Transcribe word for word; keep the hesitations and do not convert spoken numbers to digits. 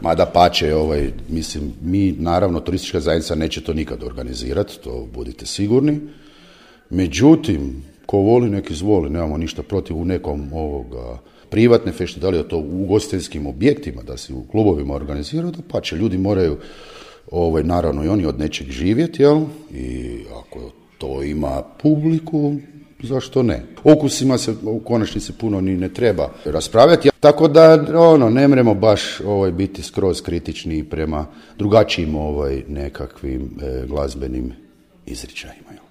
Mada pače, ovaj, mislim, mi, naravno, turistička zajednica neće to nikad organizirati, to budite sigurni. Međutim, ko voli, nek izvoli, nemamo ništa protiv u nekom ovoga privatne fešte, da li je to u ugostiteljskim objektima, da se u klubovima organiziraju, da pače, ljudi moraju, ovaj, naravno i oni od nečeg živjeti, jel? I ako to ima publiku, zašto ne? Okusima se u konačnici puno ni ne treba raspravljati, tako da ono, ne mremo baš ovaj, biti skroz kritični prema drugačijim ovaj, nekakvim e, glazbenim izričajima.